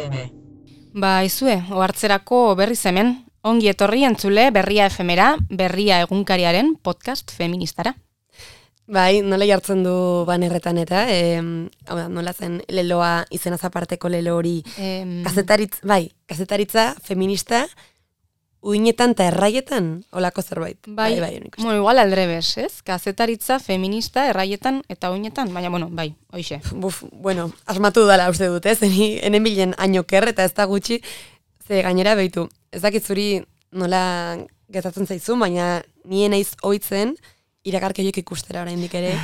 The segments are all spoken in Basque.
FM. Izue, ohartzerako berriz hemen, ongi etorri entzule Berria FMera, Berria egunkariaren podcast feministara. Bai, nola jartzen du banerretan eta, nola zen leloa izenaz aparteko lelo hori, kazetaritza feminista, uinetan eta erraietan, olako zerbait. Bai, bueno, igual aldrebes, ez? Kazetaritza feminista erraietan eta uinetan, baina, bai, hoixe. Bueno, asmatu dala uste dut, ez? Enen bilen ainoker eta ez da gutxi, ze gainera behitu. Ez dakit zuri nola gertatzen zaizu, baina nien naiz ohitzen, iragarki horiek ikustera oraindik ere,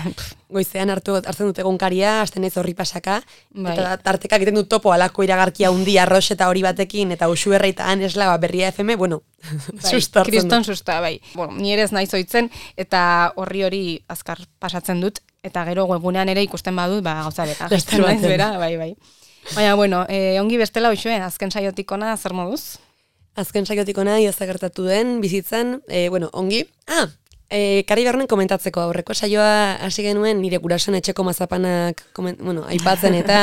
goizean hartzen dut egunkaria, hasten naiz horri pasaka, eta tartekak egiten dut topo alako iragarkia hundi arrox eta hori batekin, eta usu erreitaan esla Berria FM, bueno, sustartzen kriston susta, bai. Bueno, ni ere ez naiz ohitzen, eta horri azkar pasatzen dut, eta gero webunean ere ikusten badut, gauza bera. Naiz bera, bai. Baina, bueno, ongi bestela hoxue, azken saiotik ona zer moduz? Azken saiotik ona, ia gertatu den, bizitzan, ongi. Kari Bernen komentatzeko aurreko saioa hasi genuen nire gurasoen etxeko mazapanak aipatzen eta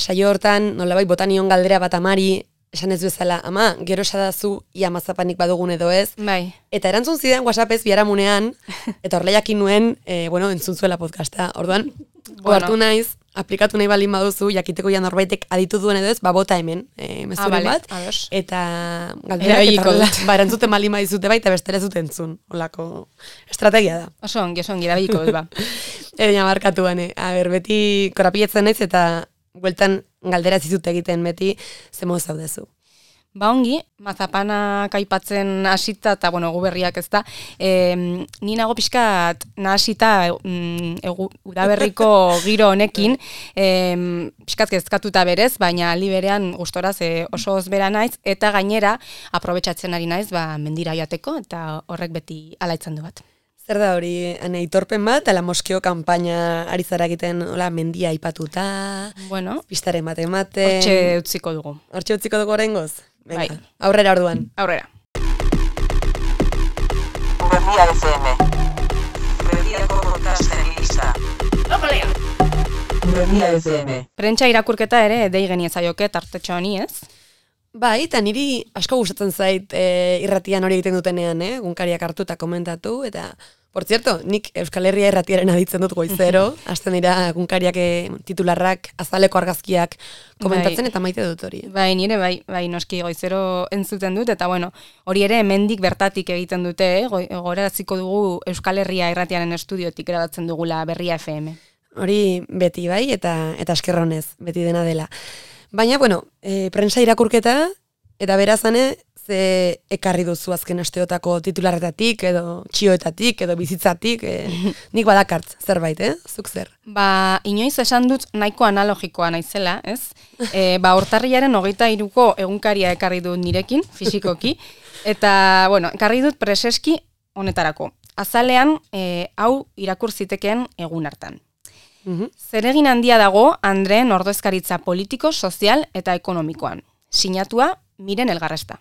saio hortan nolabait botanion galdera bat amari esan ez bezala, ama, gero esadazu ia mazapanik badugun edo ez. Bai. Eta erantzun zidan WhatsAppez biharamunean, eta horleiakin nuen, entzun zuela podcasta. Orduan, hartu naiz, aplikatu nahi balin baduzu, jakiteko ja norbaitek aditu duen edo ez, bota hemen, mezuren bat, eta galderak, erantzuten balin badizute baita bestera ez dut entzun, olako estrategia da. Oso ongi, erabiliko dut, Baina markatu bane, beti korapiletzen naiz, eta bueltan galdera zizut egiten beti, zemo zaudezu. Ongi, mazapanak aipatzen hasita, eta gu berriak ez da, ni nago pixkat nahasita udaberriko giro honekin, pixkat kezkatuta berez, baina aldi berean gustoraz oso ozbera naiz, eta gainera aprobetxatzen ari naiz mendira joateko, eta horrek beti alaitzen du bat. Zer da hori, aitorpen bat, ala moskeo kanpaina ari zara egiten mendia aipatuta, pistaren bat ematen. Hortxe utziko dugu. Hortxe utziko dugu oraingoz? Bai. Aurrera orduan. Aurrera. Berria FM. Berriako podcast feminista. Berria FM. Prentsa irakurketa ere dei geniezaioke tartetxo honi, ez? Bai, eta niri asko gustatzen zait irratian hori egiten dutenean, egunkariak hartu eta komentatu, eta, por cierto, nik Euskal Herria irratiaren aditzen dut goizero, hasten dira egunkariak titularrak, azaleko argazkiak komentatzen, eta maite dut hori. Bai, nire bai, noski goizero entzuten dut, eta hori ere hemendik bertatik egiten dute, gogoraraziko dugu Euskal Herria irratiaren estudiotik erabatzen dugula Berria FM. Hori beti bai, eta eskerronez, beti dena dela. Baina, prensa irakurketa, eta berazane, ze ekarri duzu azken asteotako titularretatik, edo txioetatik, edo bizitzatik, nik badakartz, zerbait, Zuk zer? Inoiz esan dut nahiko analogikoa naizela, ez? Urtarrilaren 23ko egunkaria ekarri dut nirekin, fisikoki, eta, ekarri dut preseski honetarako. Azalean, hau irakur zitekeen egun hartan. Zeregin handia dago Andreen ordezkaritza politiko, sozial eta ekonomikoan. Sinatua Miren Elgarresta.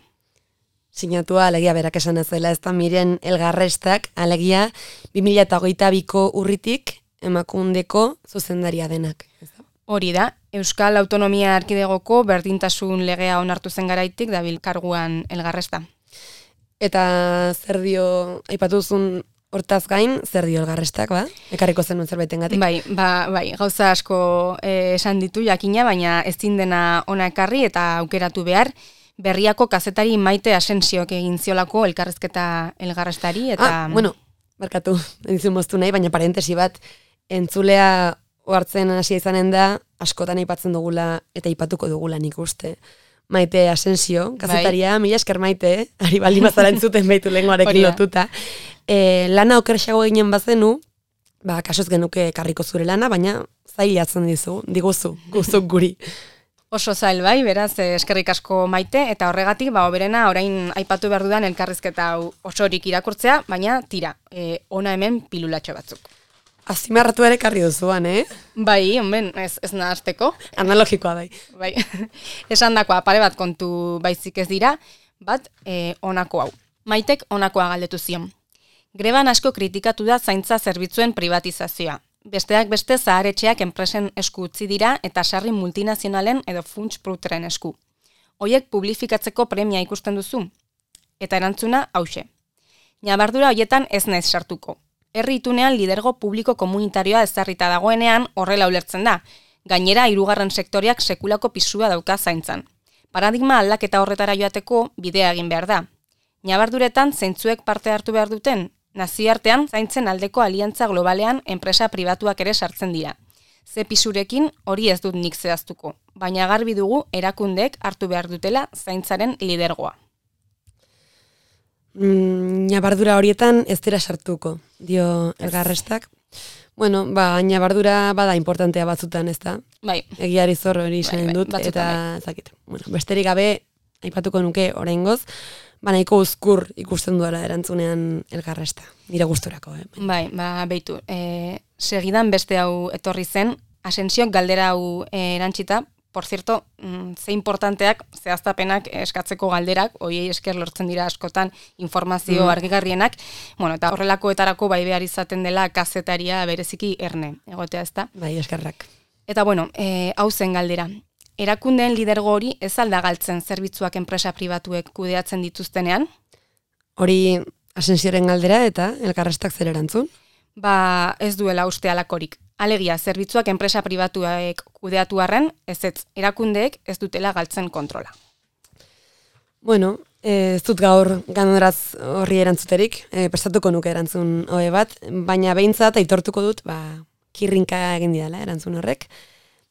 Sinatua alegia berak esan ez dela, ez da Miren Elgarrestak, alegia 2022ko urritik Emakundeko zuzendaria denak. Hori da, Euskal Autonomia Erkidegoko berdintasun legea onartu zen garaitik dabil karguan Elgarresta. Eta zer dio, aipatuzun hortaz gain, zer dio Elgarrestak, Ekarriko zenuen zerbaitengatik? Bai, gauza asko esan ditu jakina, baina ezin dena ona ekarri eta aukeratu behar, Berriako kazetari Maite Asensiok egin ziolako elkarrezketa Elgarrestari, eta... Barkatu, entzun moztu nahi, baina parentesi bat, entzulea ohartzen hasia izanen da, askotan aipatzen dugula eta aipatuko dugula nik uste. Maite Asensio, kazetaria, mila esker Maite, ari baldin bazara entzuten behitu lenguarekin lotuta. Lana okerxago ginen bazenu, kasoz genuke karriko zure lana, baina zailatzen diguzu, guzuk guri. Oso zail bai, beraz, eskerrik asko Maite, eta horregatik, oberena, orain aipatu behar dudan elkarrizketa osorik irakurtzea, baina tira, ona hemen pilulatxo batzuk. Azimarratu ere karri duzuan, Bai, ez nahazteko. Analogikoa bai. Esan dakoa, pare bat kontu baizik ez dira, bat, honako hau. Maitek honakoa galdetu zion. Greban asko kritikatu da zaintza zerbitzuen privatizazioa. Besteak beste zaharetxeak enpresen esku utzi dira eta sarri multinazionalen edo funts pruteren esku. Hoiek publifikatzeko premia ikusten duzu? Eta erantzuna hauxe. Ñabardura hoietan ez naiz sartuko. Herri itunean lidergo publiko komunitarioa ezarrita dagoenean horrela ulertzen da. Gainera, hirugarren sektoriak sekulako pisua dauka zaintzan. Paradigma aldaketa horretara joateko bidea egin behar da. Ñabarduretan zeintzuek parte hartu behar duten, nazioartean zaintzen aldeko aliantza globalean enpresa pribatuak ere sartzen dira. Ze pisurekin hori ez dut nik zehaztuko, baina garbi dugu erakundeek hartu behar dutela zaintzaren lidergoa. Ñabardura horietan ez dira sartuko, dio Elgarrestak. Bueno, ñabardura bada importantea batzutan, ez da? Bai. Egiari zor hori izan dut, batzutan eta zakit. Bueno, besterik gabe, aipatuko nuke oraingoz, nahiko uzkur ikusten duela erantzunean Elgarresta, nire gusturako. Bai, beitu. Segidan beste hau etorri zen, Asensiok galdera hau erantzita, por cierto, ze importanteak, zehaztapenak eskatzeko galderak, hoiei esker lortzen dira askotan informazio argigarrienak, bueno, eta horrelakoetarako bai behar izaten dela kazetaria bereziki erne, egotea ez da? Bai, eskerrak. Eta bueno, hau zen galdera. Erakundeen lidergo hori ez alda galtzen zerbitzuak enpresa pribatuek kudeatzen dituztenean? Hori Asensioren galdera eta Elgarrestak zer erantzun? Ez duela uste alakorik. Alegia, zerbitzuak enpresa pribatuek kudeatu arren, erakundeek ez dutela galtzen kontrola. Bueno, ez dut gaur ganoraz horri erantzuterik, prestatuko nuke erantzun hoe bat, baina behintzat aitortuko dut, kirrinka egin didala erantzun horrek.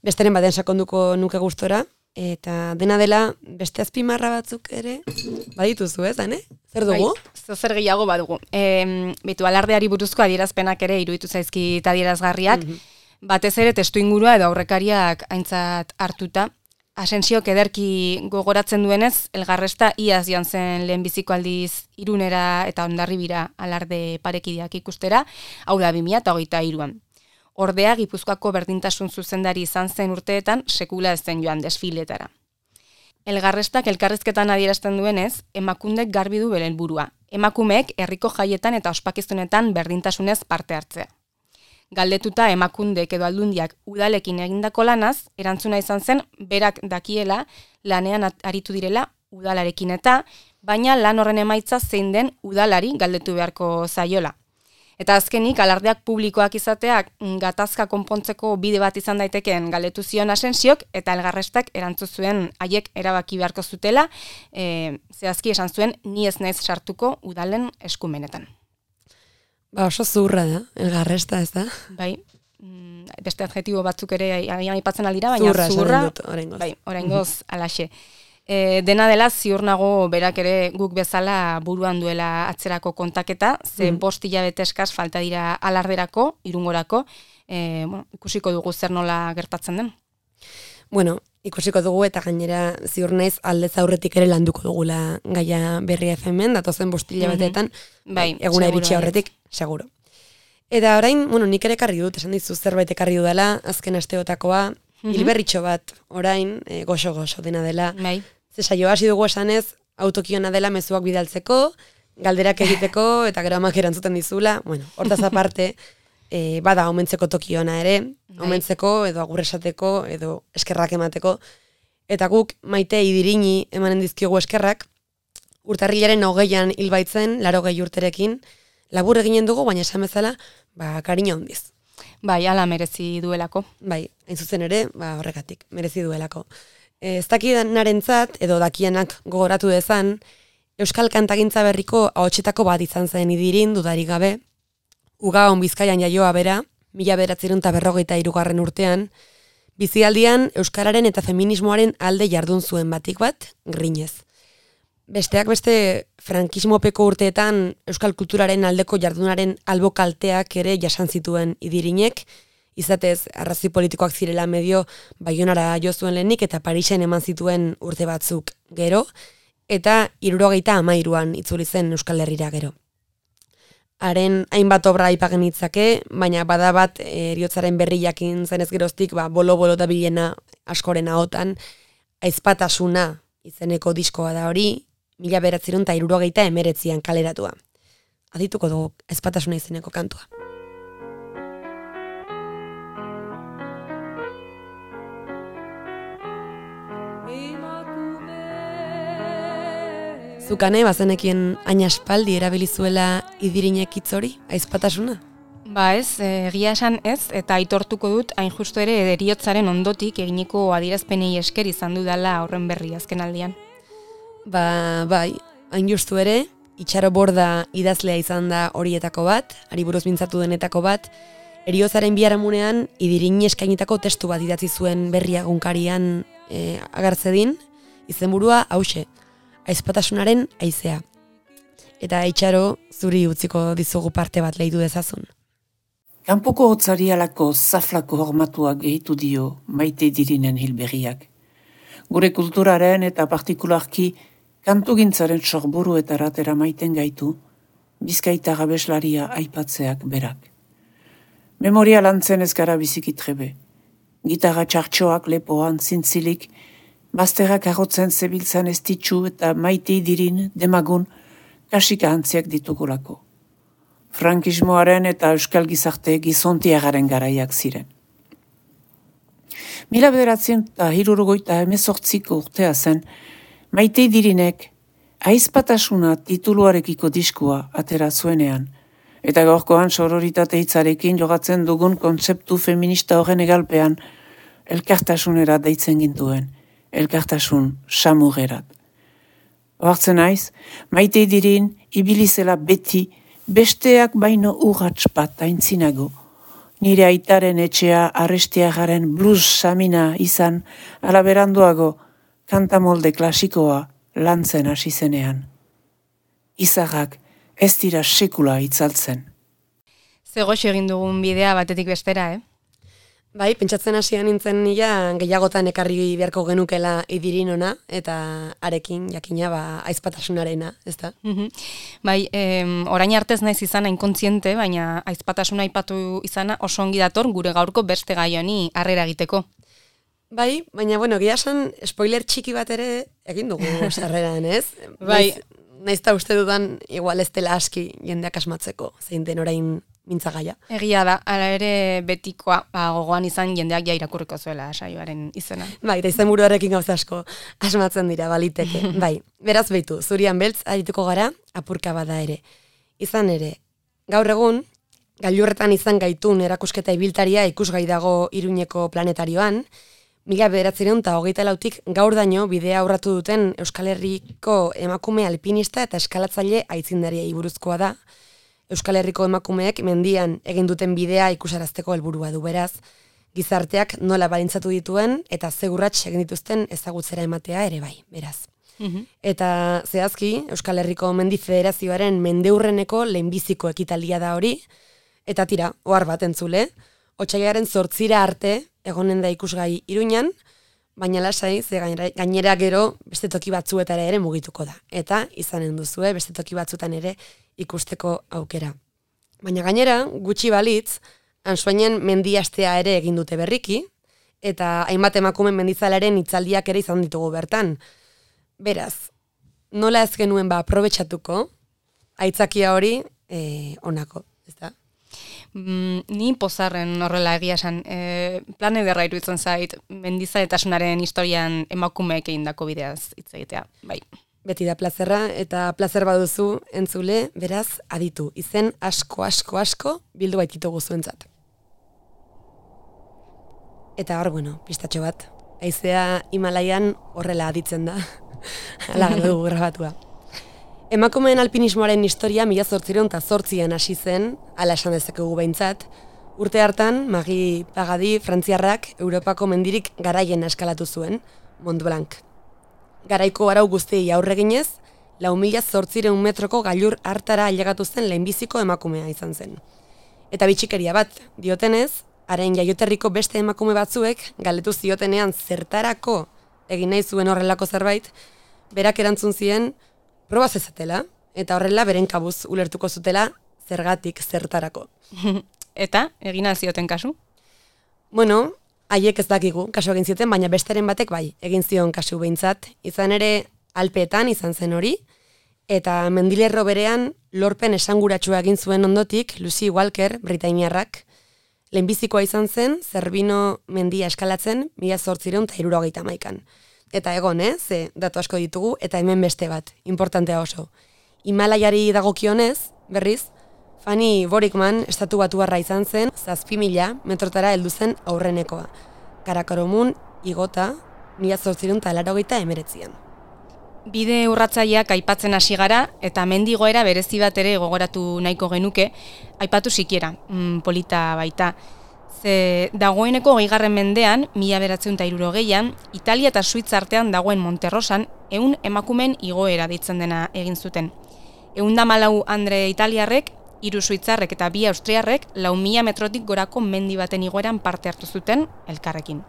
Besteren baten sakonduko nuke gustora, eta dena dela beste azpimarra batzuk ere badituzu, ez, Ane? Zer dugu? Zer gehiago badugu. Beitu, alardeari buruzko adierazpenak ere iruditu zaizkit adierazgarriak, batez ere testu ingurua edo aurrekariak aintzat hartuta. Asensiok ederki gogoratzen duenez, Elgarresta iaz joan zen lehenbiziko aldiz Irunera eta Hondarribira alarde parekideak ikustera, hau da 2023an. Ordea, Gipuzkoako berdintasun zuzendari izan zen urteetan sekula ez zen joan desfiletara. Elgarrestak elkarrizketan adierazten duenez, emakundek garbi du bere helburua. Emakumeek herriko jaietan eta ospakizunetan berdintasunez parte hartzea. Galdetuta emakundek edo aldundiak udalekin egindako lanaz, erantzuna izan zen berak dakiela lanean aritu direla udalarekin eta, baina lan horren emaitza zein den udalari galdetu beharko zaiola. Eta azkenik, alardeak publikoak izateak gatazka konpontzeko bide bat izan daitekeen galdetu zion Asensiok, eta Elgarrestak erantzun zuen haiek erabaki beharko zutela, zehazki esan zuen ni ez naiz sartuko udalen eskumenetan. Oso zurra da, Elgarresta, ez da? Bai, beste adjetibo batzuk ere aipatzen aldira, baina zurra, bai, oraingoz alaxe. Dena dela ziur nago berak ere guk bezala buruan duela atzerako kontaketa, ze 5 hilabete eskas falta dira alarderako, Irungorako, ikusiko dugu zer nola gertatzen den. Bueno, ikusiko dugu eta gainera ziur naiz aldez aurretik ere landuko dugula gaia Berria FM-en, datozen 5 hilabeteetan, eguna iritsi aurretik, seguro. Eta orain, nik ere ekarri dut, esan dizu zerbait ekarri dudala, azken asteotakoa, hilberritxo bat, orain, goxo-goxo dena dela. Bai. Ze saio hasi dugu esanez, autokiona dela mezuak bidaltzeko, galderak egiteko, eta gero amak erantzuten dizula. Bueno, hortaz aparte, bada omentzeko tokiona ere, omentzeko, edo agurresateko, edo eskerrak emateko. Eta guk maite idirini emanen dizkiogu eskerrak, urtarrilaren 20an hilbaitzen, 80 urterekin, labur eginen dugu, baina esan bezala, kariño handiz. Bai, ala merezi duelako. Bai, hain zuzen ere, horregatik, merezi duelako. Ez dakienarentzat, edo dakianak gogoratu dezan, Euskal Kantagintza Berriko ahotsetako bat izan zen idirin, dudarik gabe, Ugaon Bizkaian jaioa bera, 1953 urtean, bizialdian Euskararen eta feminismoaren alde jardun zuen batik bat, grinez. Besteak beste, frankismopeko urteetan Euskal kulturaren aldeko jardunaren albo kalteak ere jasan zituen idirinek, izatez, arrazoi politikoak zirela medio Baionara jo zuen lehenik eta Parisen eman zituen urte batzuk gero, eta 73an itzuli zen Euskal Herrira gero. Haren hainbat obra aipagen itzake, baina bada bat heriotzaren berri jakin zenez geroztik, bolo-bolo da bilena askoren ahotan, aizpatasuna izeneko diskoa da hori, 1979an kaleratua. Adituko dugu aizpatasuna izeneko kantua. Zukane, bazenekien hain aspaldi erabilizuela idirinek hitz hori, aizpatasuna? Ba ez, egia esan ez, eta aitortuko dut hain justu ere heriotzaren ondotik eginiko adierazpenei esker izan dudala horren berri azken aldian. Ba, bai, hain justu ere, Itxaro Borda idazlea izan da horietako bat, ari buruz mintzatu denetako bat, heriotzaren biharamunean idirin eskainitako testu bat idatzi zuen berria egunkarian agertzedin, izenburua hauxe, aizpatasunaren haizea. Eta Itxaro, zuri utziko dizugu parte bat lehitu dezazun. Kanpoko hotzarialako zaflako hormatuak gehitu dio Maite Dirinen hilberriak. Gure kulturaren eta partikularki kantugintzaren sorburuetara eramaiten gaitu, Bizkaita gabeslaria aipatzeak berak. Memoria lantzen ez gara bizikitrebe. Gitarra txartxoak lepoan zintzilik, bazterrak agotzen zebiltzan ez ditxu eta Maite Dirin demagun kasika antziak ditugulako. Frankismoaren eta euskal gizarte gizontiagaren garaiak ziren. 1978ko urtea zen, Maite Dirinek aizpatasuna tituluarekiko diskua atera zuenean, eta gaurkoan sororitate hitzarekin jogatzen dugun kontzeptu feminista horren egalpean elkartasunera deitzen gintuen, elkartasun samugerat. Ohartzen naiz, Maite Dirin ibilizela beti besteak baino urrats bat aintzinago. Nire aitaren etxea arrestiagaren blues samina izan, alaberanduago kantamolde klasikoa lantzen hasi zenean. Izarrak ez dira sekula itzaltzen. Zegoxo egin dugun bidea batetik bestera, Bai, pentsatzen hasian nintzen nila gehiagotan ekarri beharko genukela Idirin ona, eta arekin jakina aizpatasunarena, ezta? Bai, orain artez naiz izan inkontziente, baina aizpatasuna aipatu izana oso ongi dator gure gaurko beste gai honi harrera egiteko. Bai, baina egia esan spoiler txiki bat ere egin dugu sarreran, ez? Bai. Naiz ta uste dudan igual ez dela aski jendeak asmatzeko, zein den orain mintzagaia. Egia da, hala ere betikoa gogoan izan jendeak ja irakurriko zuela saioaren izena. Bai, eta izenburuarekin gauza asko asmatzen dira, baliteke. Bai, beraz behitu, zurian beltz arituko gara, apurka bada ere. Izan ere, gaur egun, gailurretan izan gaitun erakusketa ibiltaria ikusgai dago Iruñeko planetarioan, 1924tik gaur daño bidea aurratu duten Euskal Herriko emakume alpinista eta eskalatzaile aitzindariei buruzkoa da. Euskal Herriko emakumeek mendian egin duten bidea ikusarazteko helburua du, beraz, gizarteak nola balintzatu dituen eta zegurrats egin dituzten ezagutzera ematea ere bai, beraz. Eta zehazki, Euskal Herriko Mendi Federazioaren mendeurreneko lehenbiziko ekitaldia da hori, eta tira, ohar bat entzule, otsailaren 8 arte egonen da ikusgai Iruñan, baina lasai, ze gainera gero beste toki batzuetara ere mugituko da. Eta izanen duzue beste toki batzuetan ere ikusteko aukera. Baina gainera, gutxi balitz, Ansoainen mendiastea ere egin dute berriki, eta hainbat emakumen mendizalaren hitzaldiak ere izan ditugu bertan. Beraz, nola ez genuen aprobetxatuko, aitzakia hori onako, ezta? Ni pozarren horrela egia esan, plan ederra iruditzen zait, mendizaletasunaren historian emakumeek egindako bideaz hitz egitea, bai. Beti da plazerra, eta plazer baduzu entzule, beraz, aditu. Izen asko bildu baititugu zuentzat. Eta hor, pistatxo bat. Haizea Himalaian horrela aditzen da. Hala dugu grabatua. Emakumeen alpinismoaren historia 1808an hasi zen, hala esan dezakegu behintzat. Urte hartan, Magi Pagadi frantziarrak Europako mendirik garaien eskalatu zuen, Mont Blanc. Garaiko arau guztiei aurreginez, 4.800 metroko gailur hartara ailegatu zen lehenbiziko emakumea izan zen. Eta bitxikeria bat, diotenez, haren jaioterriko beste emakume batzuek galdetu ziotenean zertarako egin nahi zuen horrelako zerbait, berak erantzun zien proba zezatela, eta horrela beren kabuz ulertuko zutela zergatik zertarako. Eta, egin zioten kasu? Haiek ez dakigu, kasu egin zioten, baina besteren batek bai, egin zion kasu behintzat. Izan ere, Alpeetan izan zen hori, eta mendilerro berean lorpen esanguratsua egin zuen ondotik Lucy Walker, britainiarrak, lehenbizikoa izan zen, Zerbino mendia eskalatzen 1871an. eta egon, ze datu asko ditugu, eta hemen beste bat, importantea oso. Himalaiari dagokionez, berriz, Fanny Borikman estatu batuarra izan zen, 7.000 metrotara heldu zen aurrenekoa. Karakoromun igota, 1889an. Bide urratzaileak aipatzen hasi gara, eta mendigoera berezi bat ere gogoratu nahiko genuke, aipatu sikiera, polita baita. Ze dagoeneko 20. mendean, 1960an, Italia eta Suitza artean dagoen Monterrosan, 100 emakumen igoera deitzen dena egin zuten. 114 andre italiarrek, 3 suitzarrek eta 2 austriarrek 4.000 metrotik gorako mendi baten igoeran parte hartu zuten elkarrekin.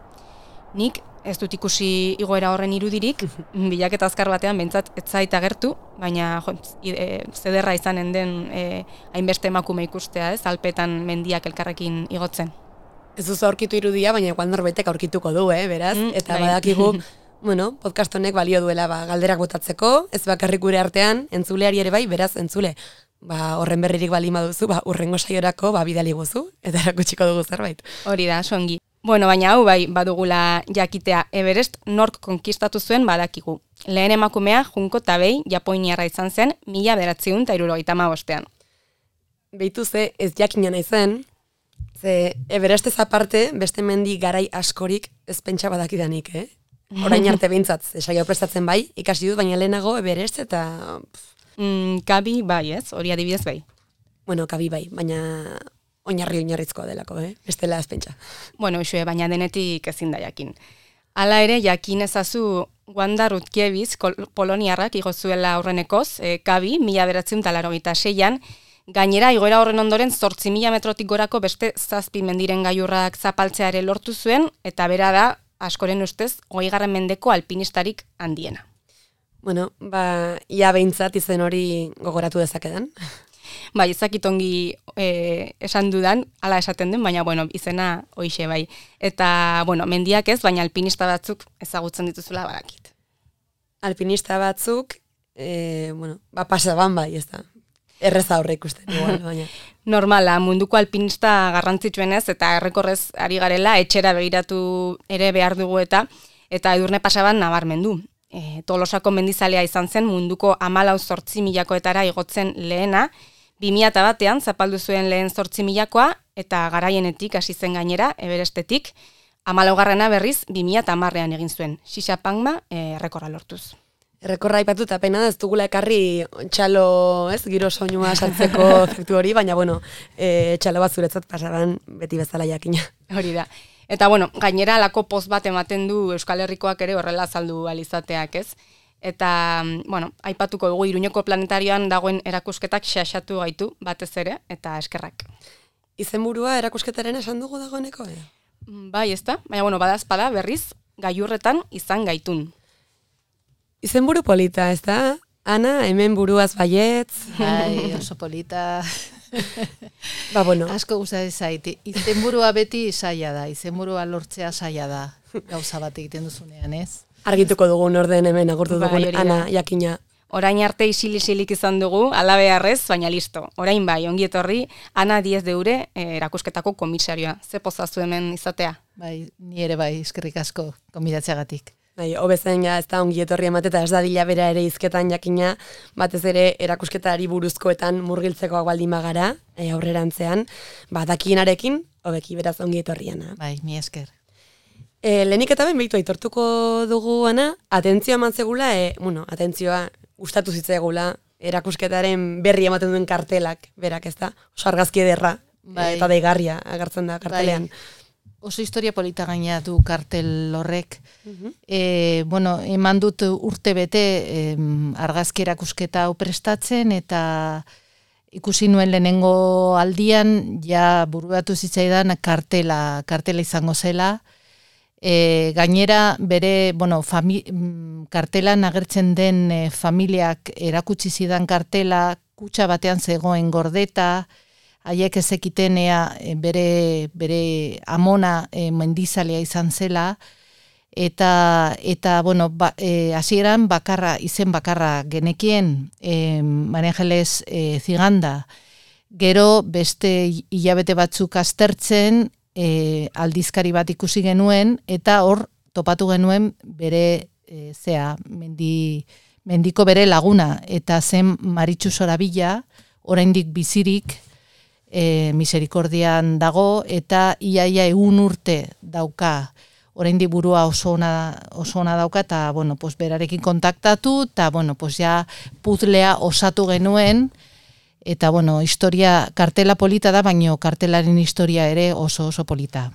Nik ez dut ikusi igoera horren irudirik, bilaketa azkar batean behintzat ez zait agertu, baina zederra izanen den hainbeste emakume ikustea, alpetan mendiak elkarrekin igotzen. Ez duzu aurkitu irudia, baina igual norbaitek aurkituko du, beraz, eta bai. badakigu, podcast honek balio duela galderak botatzeko, ez bakarrik gure artean, entzuleari ere bai, beraz, entzule, horren berririk bali maduzu, urrengo saiorako bidali guzu, eta erakutsiko dugu zerbait. Hori da, songi. Bueno, baina hau bai badugula jakitea, Everest nork konkistatu zuen badakigu. Lehen emakumea Junko Tabei Japoniarra izan zen 1975an. Beitu ze ez jakina naizen, ze Everestez aparte beste mendi garai askorik ez pentsa badakidanik, Orain arte behintzat, saio prestatzen bai, ikasi dut, baina lehenago Everest eta... Kabi bai, ez? Hori adibidez bai. Bueno, kabi bai, baina oinarrizkoa delako, bestela ez pentsa. Bueno, usue, baina denetik ezin da jakin. Hala ere, jakin ezazu Wanda Rutkiewicz poloniarrak igo zuela aurrenekoz, kabi, 1986an, gainera igoera horren ondoren 8.000 metrotik gorako beste 7 mendiren gailurrak zapaltzeare lortu zuen, eta bera da, askoren ustez, 20. mendeko alpinistarik handiena. Bueno, ia behintzat izen hori gogoratu dezakedan. Bai, ezakitongi esan dudan, hala esaten den, baina izena hoixe bai. Eta, mendiak ez, baina alpinista batzuk ezagutzen dituzula badakit. Alpinista batzuk, pasaban bai, ez da. Erreza horre ikusten, igual, baina. Normala, munduko alpinista garrantzitsuenez, eta errekorrez ari garela, etxera begiratu ere behar dugu eta Edurne Pasaban nabarmendu. Tolosako mendizalea izan zen munduko 14.000koetara igotzen lehena, 2001an zapaldu zuen lehen 8.000koa eta garaienetik hasi zen gainera, Everestetik, 14. berriz 2010an egin zuen, Xixapangma errekorra lortuz. Errekorra aipatu eta pena ez dugula ekarri txalo, giro soinua saltzeko efektu hori, baina txalo bat zuretzat Pasaban beti bezala jakina. Hori da. Eta gainera alako poz bat ematen du Euskal Herrikoak ere horrela azaldu alizateak, ez? Eta, aipatuko dugu Iruñeko planetarioan dagoen erakusketak xaxatu gaitu batez ere, eta eskerrak. Izenburua erakusketaren esan dugu dagoeneko, Bai, ez da? Baina, badazpada berriz, gailurretan izan gaitun. Izenburu polita, ez da? Ana, hemen buruaz baietz. Bai, oso polita. Asko gustatzen zait. Izenburua beti saia da, izenburua lortzea saia da. Gauza bat egiten duzunean, ez? Argituko dugun orden hemen agurtu dugun Ana jakina. Orain arte isilik izan dugu, alabearrez, baina listo. Orain bai, ongi etorri, Ana Diez de Ure erakusketako komisarioa. Ze pozazu hemen izatea? Bai, ni ere bai, eskerrik asko komidatzeagatik. Bai, hobezen ez da ongi etorri emateta ez dadila bera ere hizketan jakina, batez ere erakusketari buruzkoetan murgiltzekoak baldin bagara, aurrerantzean, dakienarekin, hobeki beraz ongi etorriana. Bai, mi esker. Lehenik eta behin behitu aitortuko dugu, Ana, atentzioa eman zegula, atentzioa gustatu zitzaigula, erakusketaren berri ematen duen kartelak, berak ez da, oso argazki ederra, eta deigarria agertzen da kartelean. Bai. Oso historia polita gaina du kartel horrek. Eman dut urte bete argazki erakusketa hau prestatzen, eta ikusi nuen lehenengo aldian, ja buruatu zitzaidan kartela izango zela. Gainera, bere, kartelan agertzen den familiak erakutsi zidan kartela, kutxa batean zegoen gordeta, haiek ezekiten bere amona mendizalea izan zela, eta hasieran izen bakarra genekien Maria Angeles Ziganda. Gero beste hilabete batzuk aztertzen aldizkari bat ikusi genuen, eta hor topatu genuen bere mendiko bere laguna, eta zen Maritxu Sorabila, oraindik bizirik, miserikordian dago, eta iaia 100 urte dauka, oraindik burua oso ona dauka, eta, bueno, pues, berarekin kontaktatu, eta, bueno, pues, ja puzlea osatu genuen, eta, bueno, historia, kartela polita da, baino kartelaren historia ere oso polita.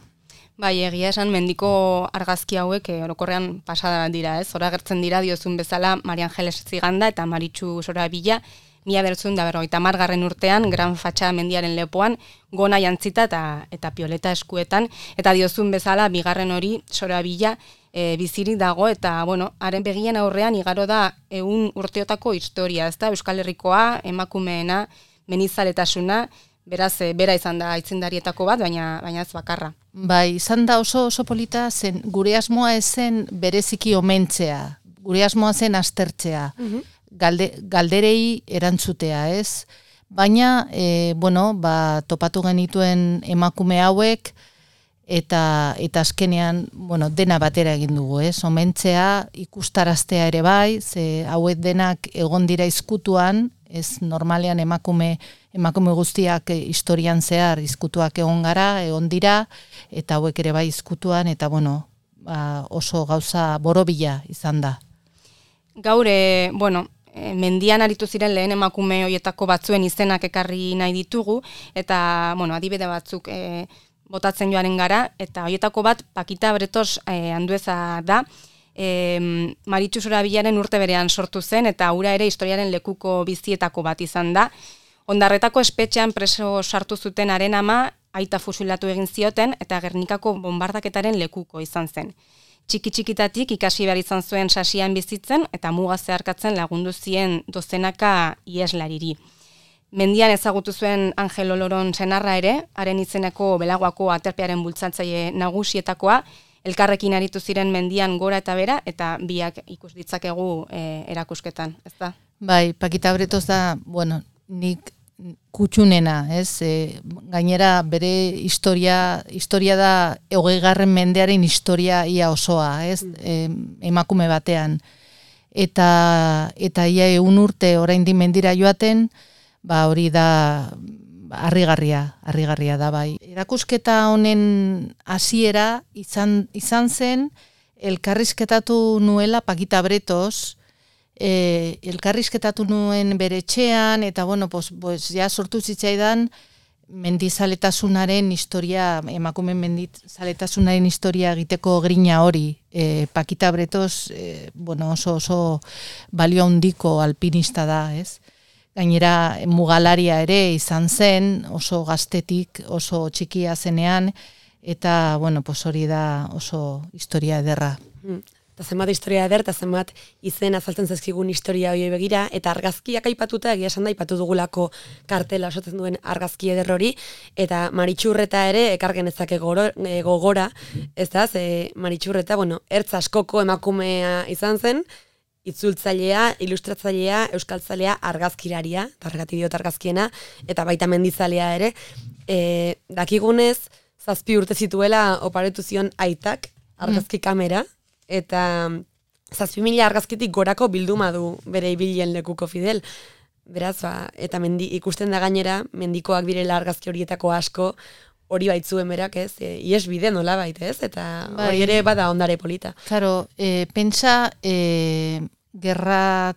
Bai, egia esan mendiko argazki hauek orokorrean pasada dira, ez? Hora agertzen dira diozun bezala Maria Angeles Ziganda eta Maritxu Sorabila, 1950 urtean, Gran Fatxa mendiaren lepoan, gona jantzita eta pioleta eskuetan, eta diozun bezala, bigarren hori Sorabila bizirik dago, eta, bueno, haren begien aurrean igaro da 100 urteotako historia, ez da? Euskal Herrikoa, emakumeena, menizaletasuna, beraz, bera izan da aitzindarietako bat, baina ez bakarra. Bai, izan da oso polita, zen gure asmoa ezen bereziki omentzea, gure asmoa zen aztertzea, galderei erantzutea, ez? Baina, topatu genituen emakume hauek, eta azkenean, dena batera egin dugu, ez? Omentzea, ikustaraztea ere bai, ze hauek denak egon dira izkutuan, ez normalean emakume guztiak historian zehar izkutuak egon dira, eta hauek ere bai izkutuan, eta oso gauza borobila izan da. Gaur, mendian aritu ziren lehen emakume horietako batzuen izenak ekarri nahi ditugu, eta, adibide batzuk botatzen joaren gara, eta horietako bat Pakita Bretos Andueza da, Maritxu Sorabilaren urte berean sortu zen, eta hura ere historiaren lekuko bizietako bat izan da. Ondarretako espetxean preso sartu zuten haren ama, aita fusilatu egin zioten, eta Gernikako bombardaketaren lekuko izan zen. Txiki-txikitatik ikasi behar izan zuen sasian bizitzen, eta muga zeharkatzen lagundu zien dozenaka ieslariri. Mendian ezagutu zuen Angel Oloron senarra ere, haren izeneko Belagoako aterpearen bultzatzaile nagusietakoa, elkarrekin aritu ziren mendian gora eta bera, eta biak ikus ditzakegu erakusketan, ezta? Bai, Pakita Bretos da, nik kutxunena, ez? Gainera bere historia da 20. mendearen historia ia osoa, ez? Emakume batean. Eta ia 100 urte oraindik mendira joaten, hori da harrigarria da bai. Erakusketa honen hasiera izan zen elkarrizketatu nuela Pakita Bretos, elkarrizketatu nuen bere etxean, eta ja sortu zitzaidan mendizaletasunaren historia, emakumen mendizaletasunaren historia egiteko grina hori. Pakita Bretos, oso balio handiko alpinista da, ez? Gainera mugalaria ere izan zen, oso gaztetik, oso txikia zenean, eta, hori da oso historia ederra. Eta zenbat historia eder, eta zenbat izen azaltzen zaizkigun historia hori begira, eta argazkiak aipatuta, egia esan da, aipatu dugulako kartela osatzen duen argazki eder hori, eta Maritxurreta ere ekargenezake gogora, ez da, Maritxurreta, ertz askoko emakumea izan zen, itzultzailea, ilustratzailea, euskaltzalea, argazkiraria, eta horregatik diot argazkiena, eta baita mendizalea ere, dakigunez, 7 urte zituela oparetu zion aitak, argazki kamera, eta 7.000 argazkitik gorako bilduma du bere ibilien lekuko Fidel. Beraz, eta ikusten da gainera, mendikoak direla argazki horietako asko, hori baitzuen berak, ez? Ies bide nola bait, ez? Eta hori ere bada ondare polita. Claro, pentsa gerra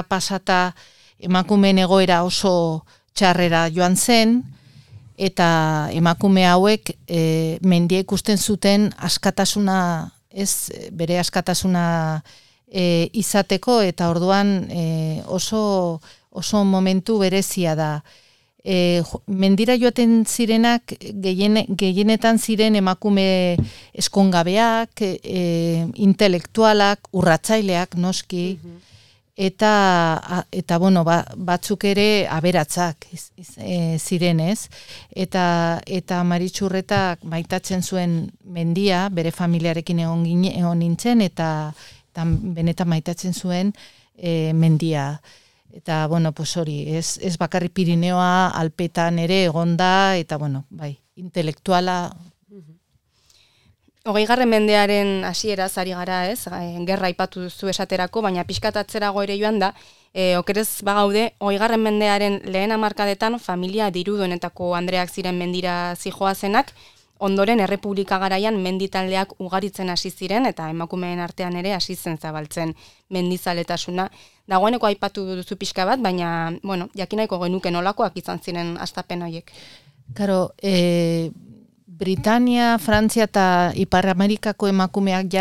pasata emakumeen egoera oso txarrera joan zen, eta emakume hauek mendia ikusten zuten askatasuna, bere askatasuna izateko, eta orduan oso momentu berezia da. Mendira joaten zirenak gehienetan ziren emakume eskongabeak, intelektualak, urratzaileak noski, eta batzuk ere aberatzak ziren, ez? Eta Maritxurretak maitatzen zuen mendia, bere familiarekin egon nintzen, eta benetan maitatzen zuen mendia. Eta, hori, ez bakarri Pirineoa, Alpetan ere egonda, eta, intelektuala. 20. mendearen hasieraz ari gara, ez? Gerra aipatu duzu esaterako, baina pixkat atzerago ere joan da, okerez bagaude, 20. mendearen lehen hamarkadetan familia diruduenetako andreak ziren mendira zijoazenak, ondoren Errepublika garaian menditaldeak ugaritzen hasi ziren eta emakumeen artean ere hasi zen zabaltzen mendizaletasuna. Dagoeneko aipatu duzu pixka bat, baina, bueno, jakinaiko genuke nolakoak izan ziren hastapen horiek. Karo, Britania, Frantzia eta Ipar Amerikako emakumeak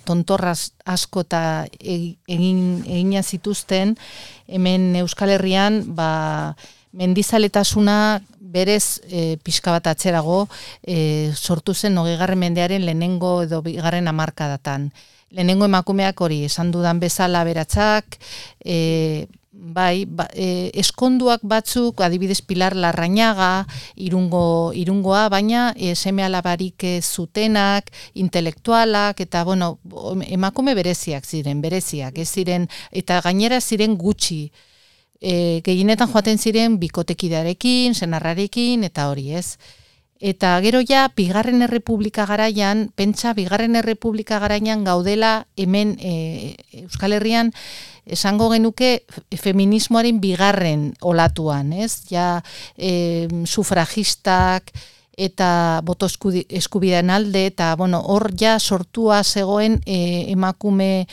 tontorraz asko eta egina zituzten, hemen Euskal Herrian mendizaletasuna berez pixka bat atzerago sortu zen 20. mendearen lehenengo edo bigarren hamarkadatan. Lehenengo emakumeak hori, esan dudan bezala beratzak, eskonduak batzuk, adibidez Pilar Larrañaga, irungoa, baina seme alabarik zutenak, intelektualak, eta bueno, emakume bereziak, ez ziren, eta gainera ziren gutxi. Gehienetan joaten ziren bikotekidearekin, senarrarekin, eta hori, ez? Eta gero ja, Bigarren Errepublika garaian, pentsa Bigarren Errepublika garaian gaudela hemen Euskal Herrian, esango genuke feminismoaren bigarren olatuan, ez? Ja, sufragistak eta boto eskubideen alde, eta bueno, hor ja sortua zegoen emakume,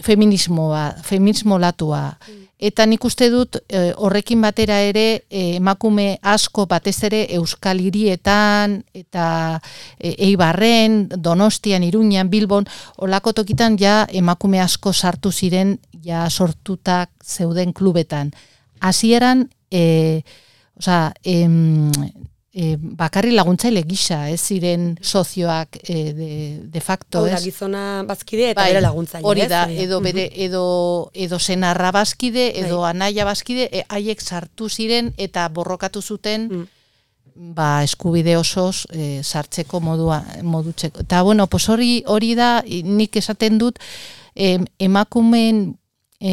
feminismo latua. Eta nik uste dut horrekin batera ere emakume asko batez ere Euskal Hirietan eta Eibarren, Donostian, Iruñan, Bilbon, olako tokitan ja emakume asko sartu ziren ja sortutak zeuden klubetan. Hasieran bakarri laguntzaile gisa, ez ziren sozioak de facto, ez? Gizona bazkide eta bere laguntzaile, hori da, edo senarra bazkide, edo anaia bazkide, haiek sartu ziren eta borrokatu zuten eskubide osoz sartzeko modutzeko. Eta bueno, hori da, nik esaten dut, emakumeen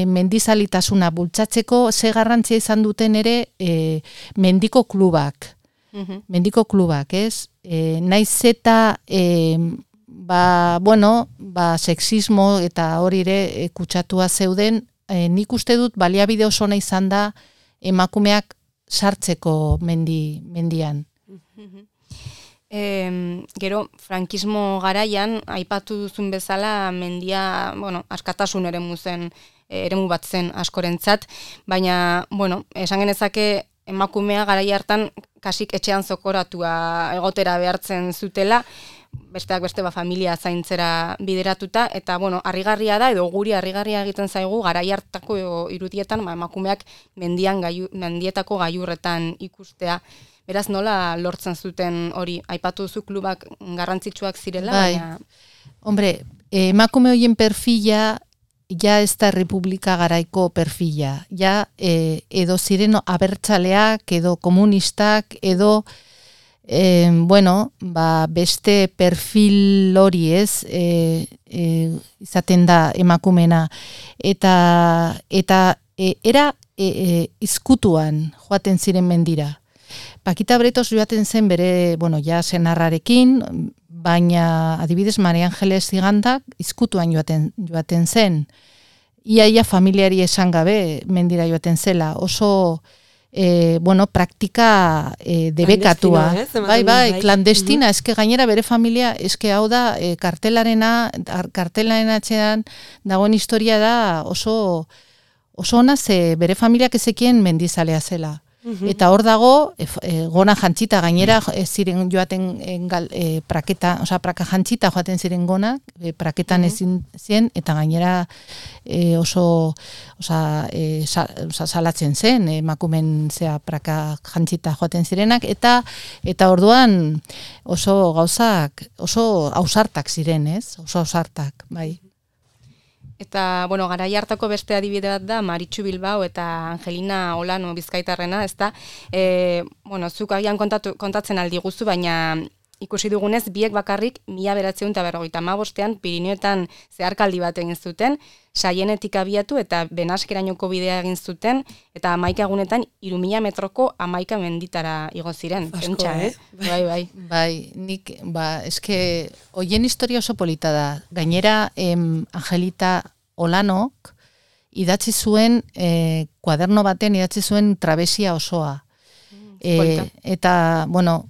mendizalitasuna bultzatzeko ze garrantzia izan duten ere mendiko klubak. Mendiko klubak, ez? Naiz eta sexismo eta hori ere kutsatua zeuden, nik uste dut baliabide oso ona izan da emakumeak sartzeko mendian. Gero, frankismo garaian, aipatu duzun bezala, mendia, askatasun eremu bat zen askorentzat, baina, esan genezake, emakumea garai hartan kasik etxean zokoratua egotera behartzen zutela, besteak beste familia zaintzera bideratuta, eta harrigarria da, edo guri harrigarria egiten zaigu, garai hartako irudietan emakumeak mendietako gailurretan ikustea. Beraz, nola lortzen zuten hori, aipatu duzu klubak garrantzitsuak zirela, baina... Hombre, emakume horien perfila, ja ez da Republika garaiko perfila, ja edo ziren abertzaleak, edo komunistak, edo beste perfil hori, ez, izaten da emakumena, eta era izkutuan joaten ziren mendira. Pakita Bretos joaten zen bere, senarrarekin, baina adibidez Maria Angeles Zigandak izkutuan joaten zen. Ia familiari esan gabe mendira joaten zela. Oso, praktika debekatua. Klandestina, eske gainera bere familia, eske hau da, kartelaren atzean dagoen historia da oso ona ze bere familiak ezekien mendizalea zela. Eta hor dago, gona jantzita gainera ziren joaten praka jantzita joaten ziren gona, praketan ezin zen, eta gainera oso salatzen zen, emakumen zea praka jantzita joaten zirenak, eta orduan oso gauzak, oso ausartak ziren, ez? Oso ausartak, bai. Eta, garai hartako beste adibide bat da, Maritxu Bilbao eta Angelina Olano bizkaitarrena, ezta? Zuk agian kontatzen aldi guzu, baina ikusi dugunez, biek bakarrik 1955ean Pirineoetan zeharkaldi bat egin zuten, Saienetik abiatu eta Benaskerainoko bidea egin zuten, eta 11 egunetan 3000 metroko 11 menditara igo ziren. Asko, Pentsa, Bai. Bai, nik, eske, hoien historia oso polita da. Gainera, Angelita Olanok idatzi zuen, kuaderno batean idatzi zuen trabesia osoa. Eta, bueno,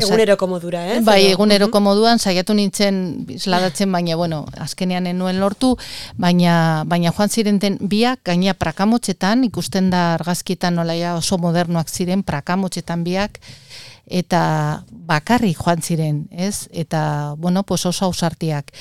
eguneroko modura, Bai, eguneroko moduan, saiatu nintzen isladatzen, baina, bueno, azkenean enuen lortu, baina joan zirenten biak, gaina prakamotxetan, ikusten da argazkietan nolaia oso modernoak ziren, prakamotxetan biak, eta bakarrik joan ziren, ez? Eta, bueno, pues oso ausartiak.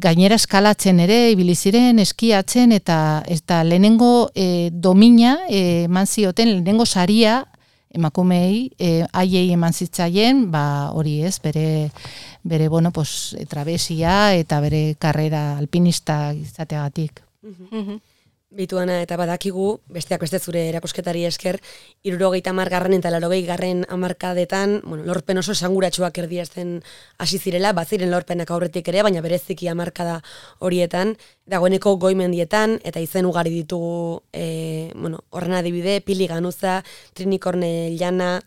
Gainera eskalatzen ere, ibili ziren, eskiatzen, eta lehenengo domina eman zioten, lehenengo saria emakumeei, haiei eman zitzaien, hori ez, bere bueno, pues, trabesia eta bere karrera alpinista izateagatik. Bituana, eta badakigu, besteak beste zure erakusketari esker, 70garren eta 80garren hamarkadetan, bueno, lorpen oso esanguratsuak erdiazten hasi zirela, baziren lorpenak aurretik ere, baina bereziki hamarkada horietan, dagoeneko goimendietan, eta izen ugari ditugu, bueno, horren adibide, Pili Ganuza, Trini Kornellana,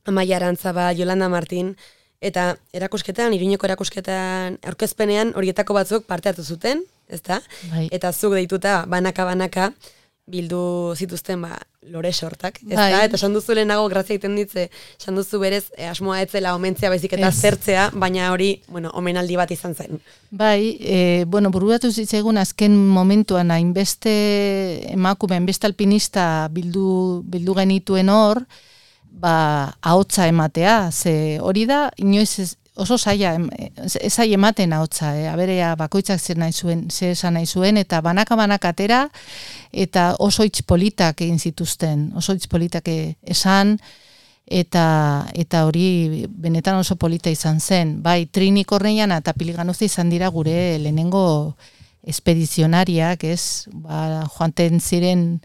Amaia Arantzaba, Yolanda Martin, eta erakusketan, Iruñeko erakusketan aurkezpenean horietako batzuk parte hartu zuten, ezta? Bai. Eta zuk deituta banaka bildu zituzten lore sortak, ezta? Bai. Eta esan duzu lehenago grazia egiten ditze, esan duzu berez asmoa etzela omentzea baizik eta zertzea, baina hori, bueno, omenaldi bat izan zen. Bai, bueno, bururatu zitzaigun azken momentuan hainbeste emakume, hainbeste alpinista bildu genituen hor, ahotsa ematea, ze hori da, inoiz oso zaila, ezai ematen ahotsa, aberea bakoitzak zer esan nahi zuen, eta banaka atera, eta oso hitz politak egin zituzten, oso hitz politak esan, eta hori benetan oso polita izan zen. Bai, Trini Kornellana eta Pili Ganuza izan dira gure lehenengo espedizionariak, ez, joanten ziren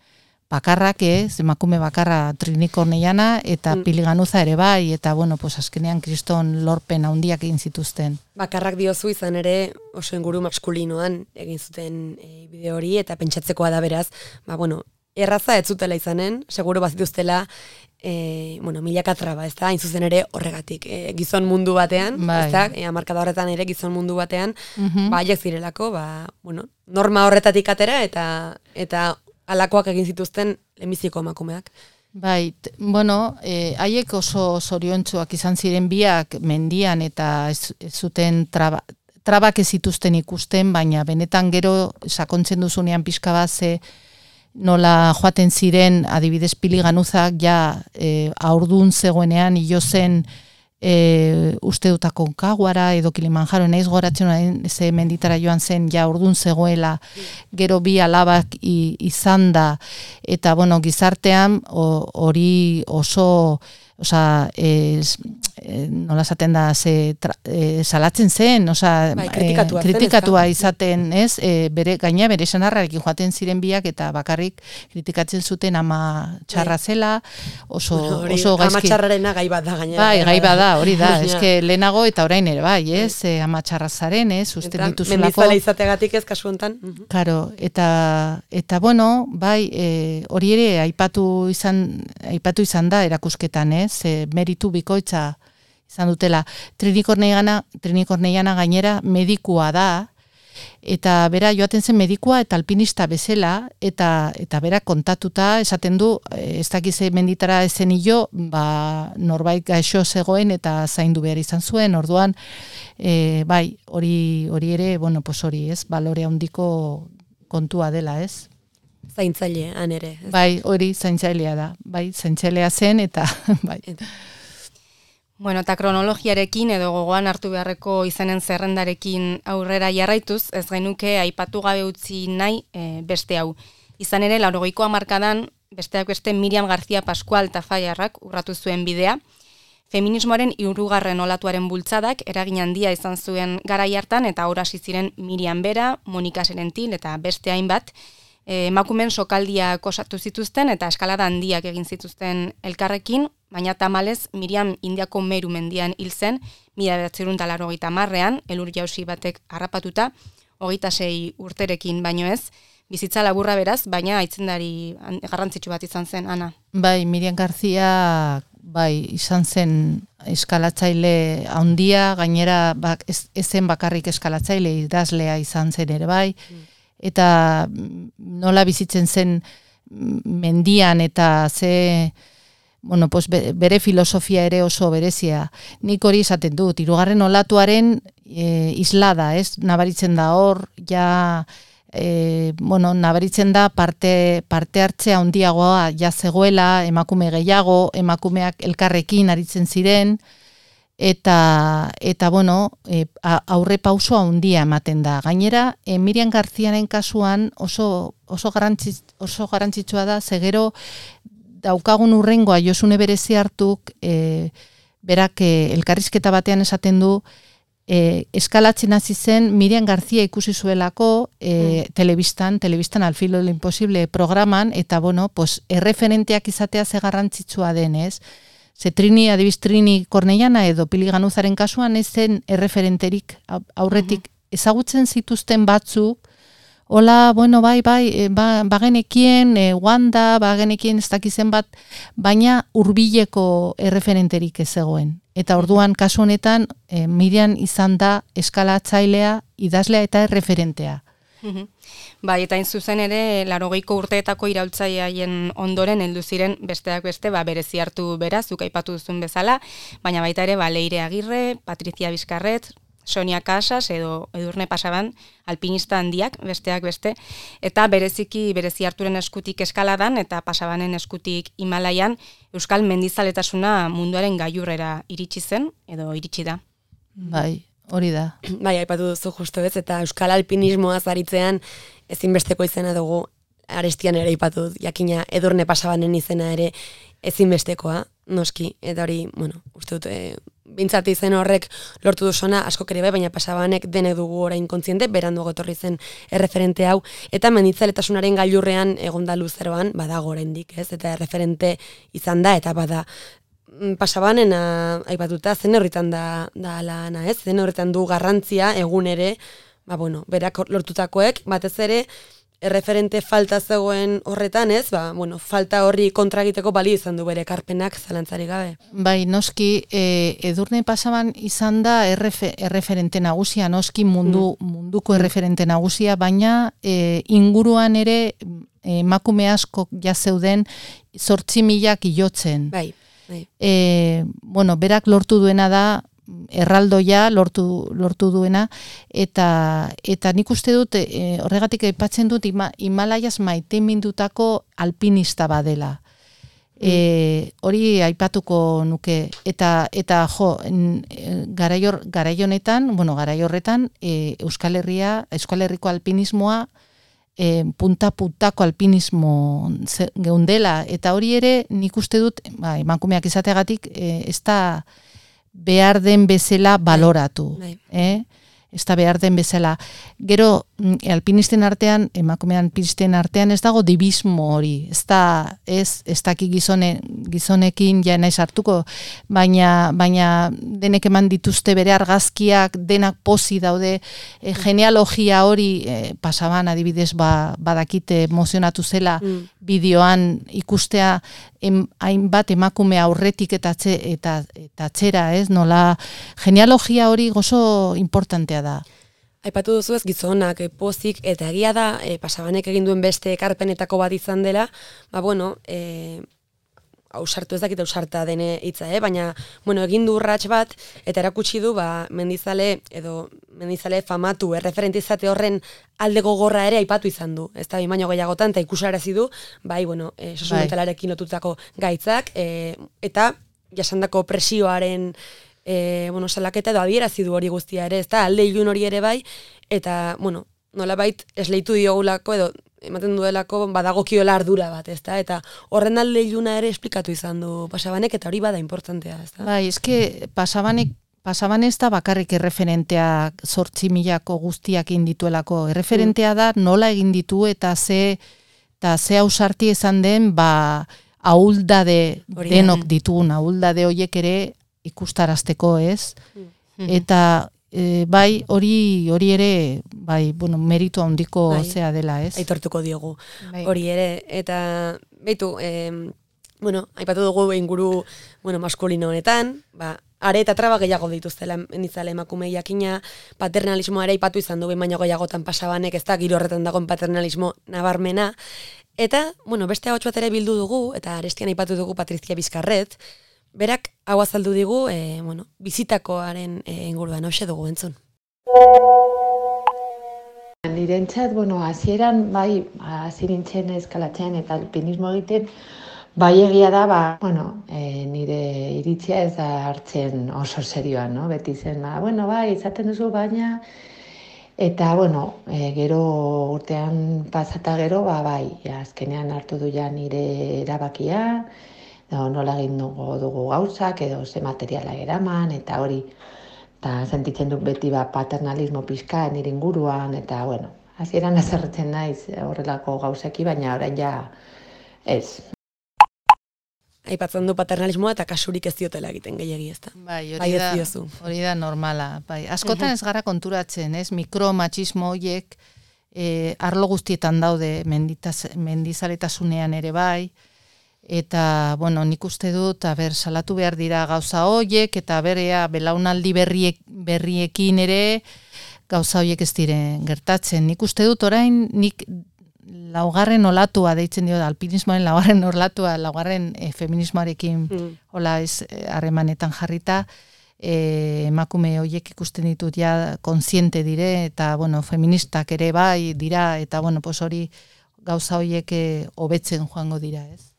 bakarrak, emakume bakarra Trini Kornellana eta Pili Ganuza ere bai, eta bueno, pues azkenean kriston lorpen handiak egin zituzten. Bakarrak diozu izan ere oso inguru maskulinoan egin zuten bideo hori, eta pentsatzekoa da beraz, bueno, erraza ez zutela izanen, seguro bazituztela, bueno, milaka traba, ez da, hain zuzen ere horregatik, gizon mundu batean, ez da, hamarkada horretan ere gizon mundu batean, haiek zirelako, bueno, norma horretatik atera, eta alakoak egin zituzten lehenbiziko emakumeak. Bai, bueno, haiek oso zoriontsuak izan ziren biak mendian eta ez zuten trabak ez zituzten ikusten, baina benetan gero sakontzen duzunean pixka bat nola joaten ziren, adibidez Pili Ganuzak ja haurdun zegoenean hilo zen uste dut Akonkaguara edo Kilimanjaro, naiz goratzen ze menditara joan zen ja urdun zegoela, gero bi alabak izan da, eta bueno, gizartean hori oso, nola esaten da, salatzen zen, kritikatua izaten, ez, gaina bere sanarrarekin joaten ziren biak, eta bakarrik kritikatzen zuten ama txarra zela, oso gaizki. Ama txarrarena gai bat da gainera. Bai, gai bat da, hori da, eske lehenago eta orain ere bai, ez, ama txarra zaren, ez, uste dituzulako. Mendizale izategatik ez kasu hontan. Karo, eta bueno, bai, hori ere aipatu izan da erakusketan, ez, meritu bikoitza izan dutela. Trini Kornellana gainera medikua da, eta bera joaten zen medikua eta alpinista bezala, eta bera kontatuta esaten du, ez dakize menditara ezen hilo, norbait gaixo zegoen eta zaindu behar izan zuen, orduan, bai, hori ere, bueno, pues hori, ez, balore handiko kontua dela, ez? Zaintzaile, han ere. Bai, hori zaintzailea da, bai, zaintzailea zen, eta bai. Bueno, eta kronologiarekin edo gogoan hartu beharreko izanen zerrendarekin aurrera jarraituz, ez genuke aipatu gabe utzi nahi beste hau. Izan ere, 80ko hamarkadan, besteak beste Miriam García Pascual Tafallarrak urratu zuen bidea. Feminismoaren 3. olatuaren bultzadak eragin handia izan zuen garai hartan, eta hor hasi ziren Miriam Bera, Monika Serentil eta beste hainbat, emakumen sokaldiak osatu zituzten eta eskalada handiak egin zituzten elkarrekin, baina tamalez Miriam Indiako Meru mendian hil zen 1980ean, elur jausi batek harrapatuta, 26 urterekin baino ez, bizitza laburra beraz, baina aitzindari garrantzitsu bat izan zen, Ana. Bai, Miriam García izan zen eskalatzaile handia, gainera ez zen bakarrik eskalatzaile, idazlea izan zen ere bai, eta nola bizitzen zen mendian eta bere filosofia ere oso berezia. Nik hori esaten dut, 3. olatuaren islada, ez? Nabaritzen da hor, nabaritzen da parte hartzea handiagoa ja zegoela, emakume gehiago, emakumeak elkarrekin aritzen ziren, eta aurre pauso handia ematen da. Gainera, Miriam Garziaren kasuan oso garrantzitsua da, zegero daukagun urrengoa Josune Berezi hartuk, berak elkarrizketa batean esaten du, eskalatzen hasi zen Miriam García ikusi zuelako telebistan Al filo de lo imposible programan, eta erreferenteak izatea ze garrantzitsua denez. Ze Trini Kornellana edo Pili Ganuzaren kasuan ez zen erreferenterik aurretik ezagutzen zituzten batzuk, hola, bagenekien, Wanda, bagenekien ez dakizen bat, baina hurbileko erreferenterik ez zegoen. Eta orduan kasu honetan Miriam izan da eskalatzailea, idazlea eta erreferentea. Bai, eta zuzen ere, 80ko urteetako iraultzaileen ondoren heldu ziren besteak beste, berezi hartu beraz, zuk aipatu duzun bezala, baina baita ere, Leire Agirre, Patricia Bizkarret, Sonia Casas edo Edurne Pasaban, alpinista handiak, besteak beste, eta berezi harturen eskutik eskaladan eta Pasabanen eskutik Himalaian, euskal mendizaletasuna munduaren gailurrera iritsi zen, edo iritsi da. Bai, hori da. Bai, aipatu duzu justu ez, eta euskal alpinismoaz aritzean ezinbesteko izena dugu, Arestian ere aipatu, jakina Edurne Pasabanen izena ere ezinbestekoa, noski, eta hori, uste dut, bintzat izen horrek lortu duzona asko ere bai, baina Pasabanek denek dugu orain kontziente, beranduago etorri zen erreferente hau, eta menditzaletasunaren gailurrean egonda luzeroan, badago oraindik, ez, eta erreferente izan da, eta bada Pasabanen aipatuta zen horretan da lana, ez, zen horretan du garrantzia egun ere, berak lortutakoek, batez ere, erreferente falta zegoen horretan, ez, falta horri kontra egiteko balio izan du bere ekarpenak zalantzarik gabe. Bai, noski, Edurne Pasaban izan da erreferente nagusia, noski munduko erreferente nagusia, baina inguruan ere emakume asko jazeuden 8.000 hilotzen. Bai. Berak lortu duena da, erraldoia lortu duena, eta nik uste dut, horregatik aipatzen dut, Himalaiaz mindutako alpinista badela. Hori aipatuko nuke, eta garai horretan, Euskal Herriko alpinismoa, punta-puntako alpinismo geundela, eta hori ere nik uste dut, emakumeak izateagatik, ez da behar den bezala baloratu. Ez da behar den bezala. Gero, alpinisten artean, emakume alpinisten artean ez dago dibismo hori. Ez daki gizonekin ja naiz hartuko, baina denek eman dituzte bere argazkiak, denak pozi daude, genealogia hori, Pasaban adibidez badakite emozionatu zela, bideoan ikustea hainbat emakume aurretik eta atzera, ez? Nola, genealogia hori gozo importantea da. Aipatu duzu ez gizonak, pozik, eta egia da, Pasabanek egin duen beste ekarpenetako bat izan dela, ausartu ez dakit ausarta dene hitza, baina, egin du urrats bat, eta erakutsi du, mendizale famatu, erreferente izate horren alde gogorra ere aipatu izan du. Ez da, baino gehiagotan, eta ikusarazi du, osasun mentalarekin lotutako gaitzak, eta jasandako presioaren salaketa edo adierazi du hori guztia ere, ez da, alde ilun hori ere bai, eta, nolabait esleitu diogulako edo ematen duelako badagokiola ardura bat, ez da, eta horren alde iluna ere esplikatu izan du Pasabanek, eta hori bada importantea, ez da. Bai, eske Pasaban ez da bakarrik erreferenteak 8.000ko guztiak egin dituelako, erreferentea da nola egin ditu eta ze eta ze ausarti izan den, ahuldade denok ditugun, ahuldade horiek ere ikustarazteko, ez? Eta bai, hori ere, bai, bueno, meritu handiko zea dela, ez? Aitortuko diogu hori ere, eta beitu, bueno, aipatu dugu inguru, bueno, maskulino honetan, are eta traba gehiago dituztela nitzale emakume jakina, paternalismoa ere aipatu izan du baino gehiagotan pasabanek, ez da giro horretan dagoen paternalismo nabarmena, eta, bueno, beste ahots bat ere bildu dugu, eta arestian aipatu dugu Patrizia Bizkarret, berak hau azaldu digu, bueno, bizitakoaren inguruan, hoxe dugu entzun. Nirentzat, bueno, hasieran bai, hasi nintzen eskalatzen eta alpinismo egiten, bai egia da, bueno, nire iritzia ez da hartzen oso serioan, no? Beti zen, bueno, bai, izaten duzu, baina, eta, bueno, gero urtean pasata gero, bai, azkenean hartu du ja nire erabakia, nola egin dugu gauzak, edo ze materiala eraman, eta hori, eta sentitzen dut beti paternalismo pixka nire inguruan, eta, bueno, hasieran azerretzen naiz horrelako gauzeki, baina orain ja ez. Aipatzen du paternalismoa eta kasurik ez diotela egiten gehiegi, ezta. Bai, hori da normala. Bai, askotan ez gara konturatzen, ez? Mikromatxismo horiek arlo guztietan daude mendizaletasunean ere bai, eta, bueno, nik uste dut, salatu behar dira gauza horiek, eta berea belaunaldi berriekin ere gauza horiek ez diren gertatzen. Nik uste dut orain, nik laugarren olatua deitzen dio, alpinismoaren laugarren olatua, laugarren feminismoarekin hola ez harremanetan jarrita, emakume horiek ikusten ditut ja kontziente dire, eta, bueno, feministak ere bai dira, eta, bueno, pues hori gauza horiek hobetzen joango dira, ez?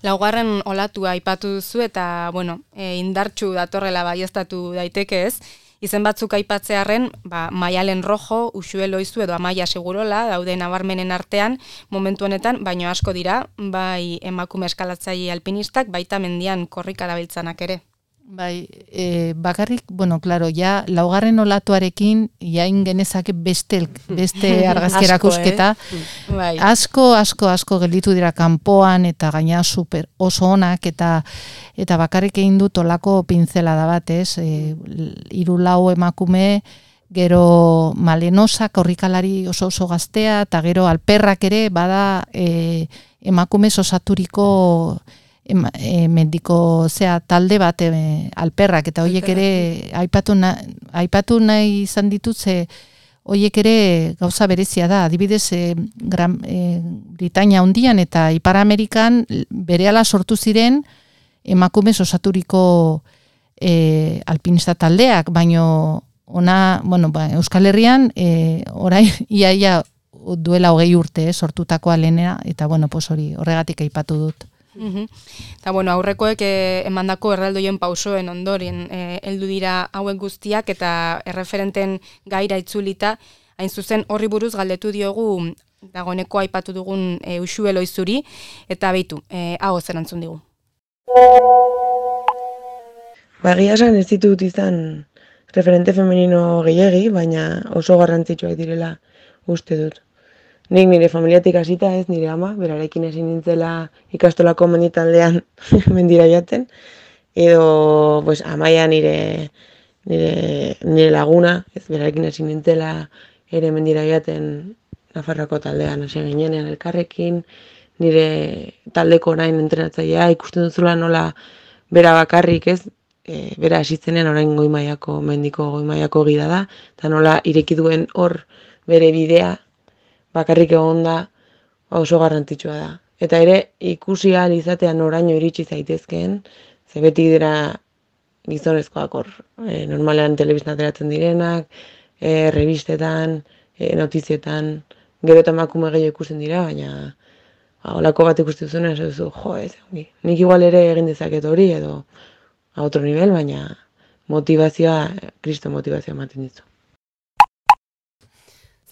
Laugarren olatua aipatu duzu eta, bueno, indartsu datorrela baieztatu daiteke, ez? Izen batzuk aipatzearren, Maialen Rojo, Uxue Loizu edo Amaia Segurola daude nabarmenen artean momentu honetan, baino asko dira, bai emakume eskalatzaile alpinistak, baita mendian korrika dabiltzanak ere. Bai, bakarrik, bueno, claro, ja laugarren olatuarekin jain genezake beste argazki erakusketa. Bai. Asko gelditu dira kanpoan eta gaina super oso onak eta bakarrik egin dut olako pinzelada bat, ez? 3-4 emakume, gero Malenosa korrikalari oso gaztea, eta gero Alperrak ere bada emakume osaturiko mendiko talde bat Alperrak, eta horiek ere aipatu nahi izan ditut, horiek ere gauza berezia da, adibidez Britainia hundian eta Ipar Amerikan berehala sortu ziren emakume osaturiko alpinista taldeak, baino Euskal Herrian orain iaia duela 20 urte sortutakoa lehenera, eta horregatik aipatu dut. Eta, bueno, aurrekoek emandako erraldoien pausoen ondoren heldu dira hauen guztiak eta erreferenten gaira itzulita, hain zuzen horri buruz galdetu diogu dagoeneko aipatu dugun Uxue Loizuri, eta beitu, hau erantzun digu. Egia esan ez ditut izan referente femenino gehiegi, baina oso garrantzitsuak direla uste dut. Nik nire familiatik hasita, ez nire ama, berarekin hasi nintzela ikastolako menditaldean mendira jaten, edo Amaia nire laguna, ez berarekin hasi nintzela ere mendira jaten Nafarroako taldean hasi ginenean elkarrekin, nire taldeko orain entrenatzailea ikusten duzula nola bera bakarrik, ez, bera hasitzenean orain mendiko goi mailako gida da, eta nola ireki duen hor bere bidea bakarrik egon da oso garrantzitsua da. Eta ere ikusi ahal izatean oraino iritsi zaitezkeen, ze beti dira gizonezkoak hor, normalean telebistan ateratzen direnak, revistetan, notizietan, gero eta emakume gehiago ikusten dira, baina holako bat ikusten zuen, ez duzu, nik igual ere egin dezaket hori, edo a otro nivel, baina motivazioa, kristo motivazioa ematen ditu.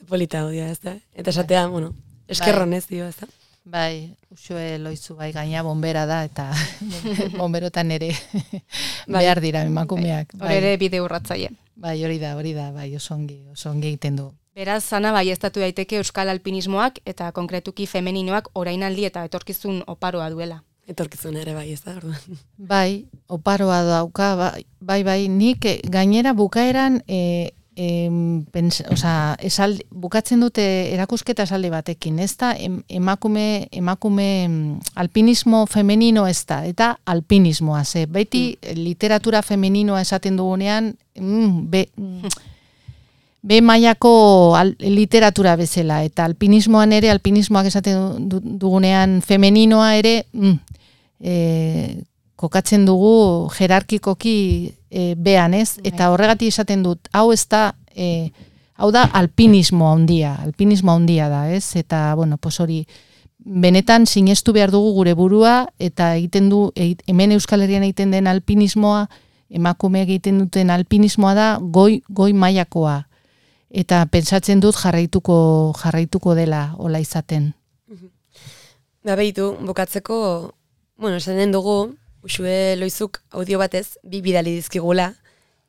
Polita odia, ez da? Eta esatea, eskerron ez dio, ez da? Bai, Uxue Loizu bai gaina bombera da, eta bomberotan ere behar dira emakumeak. Hor ere bide urratzaile. Bai, hori da, bai, oso ongi egiten du. Beraz, Ana, baieztatu daiteke euskal alpinismoak eta konkretuki femeninoak orainaldi eta etorkizun oparoa duela. Etorkizun ere bai, ez da, orduan. Bai, oparoa dauka, bai, nik gainera bukaeran bukatzen dute erakusketa esaldi batekin, ez da emakume alpinismo femenino ez da, eta alpinismoa, beti literatura femeninoa esaten dugunean, B mailako literatura bezala, eta alpinismoan ere, alpinismoak esaten dugunean femeninoa ere, kokatzen dugu jerarkikoki bean, ez? Eta horregatik esaten dut, hau ez da, hau da alpinismo handia da, ez? Eta, bueno, pues hori, benetan sinestu behar dugu gure burua, eta egiten du, hemen Euskal Herrian egiten den alpinismoa, emakume egiten duten alpinismoa da, goi mailakoa. Eta pentsatzen dut jarraituko dela hola izaten. Behitu, bukatzeko, bueno, esaten dugu, Uxue Loizuk audio batez, 2 bidali dizkigula,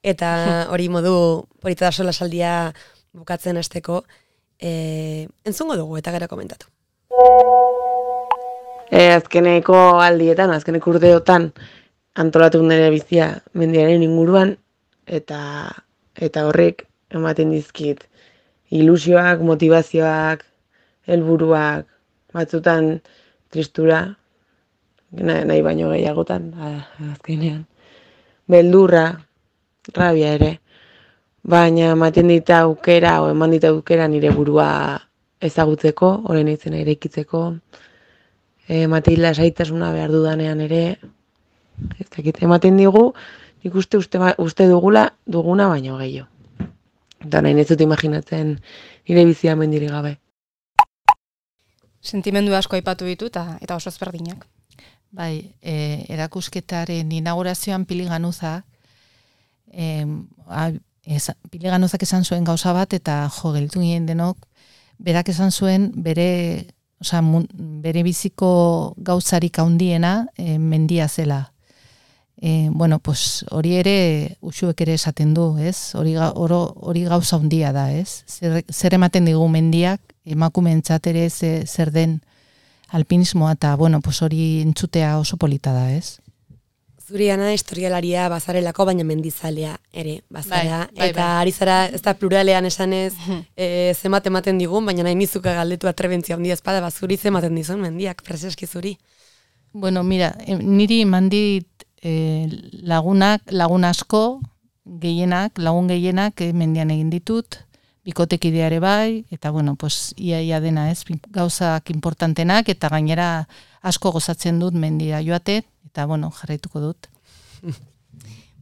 eta hori modu polita da sola saldia bukatzen hasteko, entzungo dugu eta gero komentatu. Azkeneko aldietan, azkeneko urteotan antolatu nire bizia mendiaren inguruan, eta horrek ematen dizkit ilusioak, motivazioak, helburuak, batzutan tristura, nahi baino gehiagotan, azkenean. Beldurra, rabia ere, baina ematen dita aukera, eman dita aukera nire burua ezagutzeko, horren izena eraikitzeko, ematen lasaitasuna behar dudanean ere, ez dakit, ematen digu, nik uste duguna baino gehiago. Eta nahi ez dut imaginatzen nire bizia mendiri gabe. Sentimendu asko aipatu ditu eta oso ezberdinak. Bai, erakusketaren inaugurazioan Piliganuzak, Piliganuzak esan zuen gauza bat, eta gelditu ginen denok, berak esan zuen bere biziko gauzarik handiena mendia zela. Bueno, pues hori ere Uxuek ere esaten du, ez? Hori gauza handia da, ez? Zer ematen digu mendiak, emakumeentzat ere zer den alpinismoa, eta bueno, pues hori entzutea oso polita da, ez? Zuriana historialaria bazarelako, baina mendizalea ere bazara, bai, eta ari zara, ez da pluralean esanez zemat ematen digun, baina nahi nizuka galdetu atrebentzia handia espada, zuri zematen dizun mendiak, preseski zuri. Bueno, mira, niri mandit lagun asko, lagun gehienak mendian egin ditut, bikotekideare bai, eta bueno, pues ia dena, ez, gauzak importantenak, eta gainera asko gozatzen dut mendira joate, eta bueno, jarraituko dut.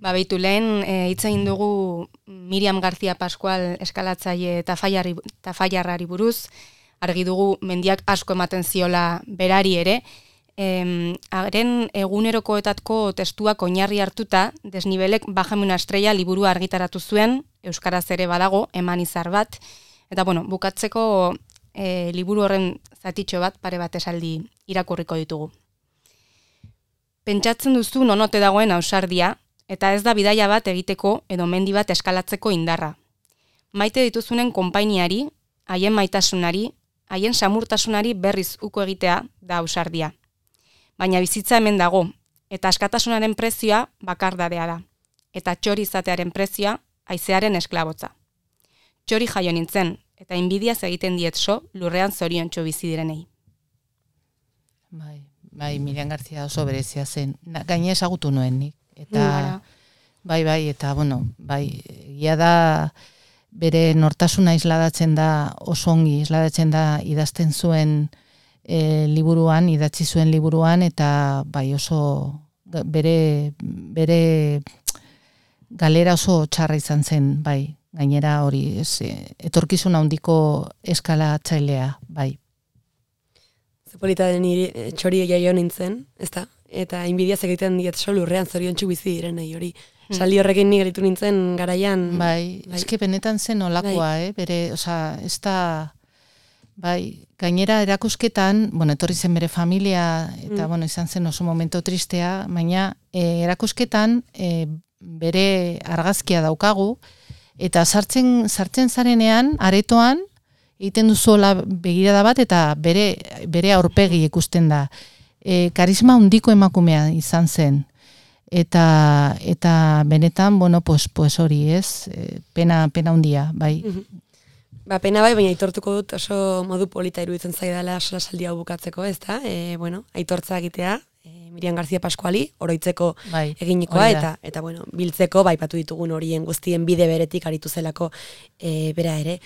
Beitu lehen, hitz egin dugu Miriam García Pascual eskalatzaile eta faiarrari buruz, argi dugu mendiak asko ematen ziola berari ere, haren egunerokoetako testuak oinarri hartuta, Desnibelek Bajamen una estrella liburua argitaratu zuen, euskaraz ere badago, eman izar bat, eta bueno, bukatzeko liburu horren zatitxo bat, pare bat esaldi irakurriko ditugu. Pentsatzen duzu nonote dagoen ausardia, eta ez da bidaia bat egiteko edo mendi bat eskalatzeko indarra. Maite dituzunen konpainiari, haien maitasunari, haien samurtasunari berriz uko egitea da ausardia. Baina bizitza hemen dago, eta askatasunaren prezioa bakardadea da, eta txori izatearen prezioa haizearen esklabotza. Txori jaio nintzen, eta inbidiaz egiten dietso lurrean zoriontxo bizi direnei. Bai, Miriam García oso berezia zen. Gaine ezagutu nuen nik. Eta, bai, eta bueno, ia da bere nortasuna isladatzen da, oso ongi isladatzen da idazten zuen liburuan, idatzi zuen liburuan, eta bai oso bere galera oso txarra izan zen, bai, gainera hori, etorkizun handiko eskalatzailea, bai. Zepolita den txori jaio nintzen, ezta? Eta inbidiaz egiten diet lurrean zoriontsu bizi direnei hori. Saldi horrekin ni geritu nintzen garaian. Bai, eske benetan zen olakoa, bere, osea, ez da, bai, gainera erakusketan, bueno, etorri zen bere familia, eta, bueno, izan zen oso momento tristea, baina erakusketan bere argazkia daukagu, Eta sartzen zarenean, aretoan, egiten duzuela begirada bat eta bere aurpegi ikusten da. Karisma handiko emakumea izan zen. Eta benetan, bueno, pues hori, ez? Pena handia, bai. Ba, pena bai, baina aitortuko dut oso modu polita iruditzen zaidala solasaldi hau bukatzeko, ez da? Bueno, aitortza egitea, Miriam García Pascuali, oroitzeko eginikoa, eta bueno, biltzeko, baipatu ditugun horien guztien bide beretik aritu zelako bera ere.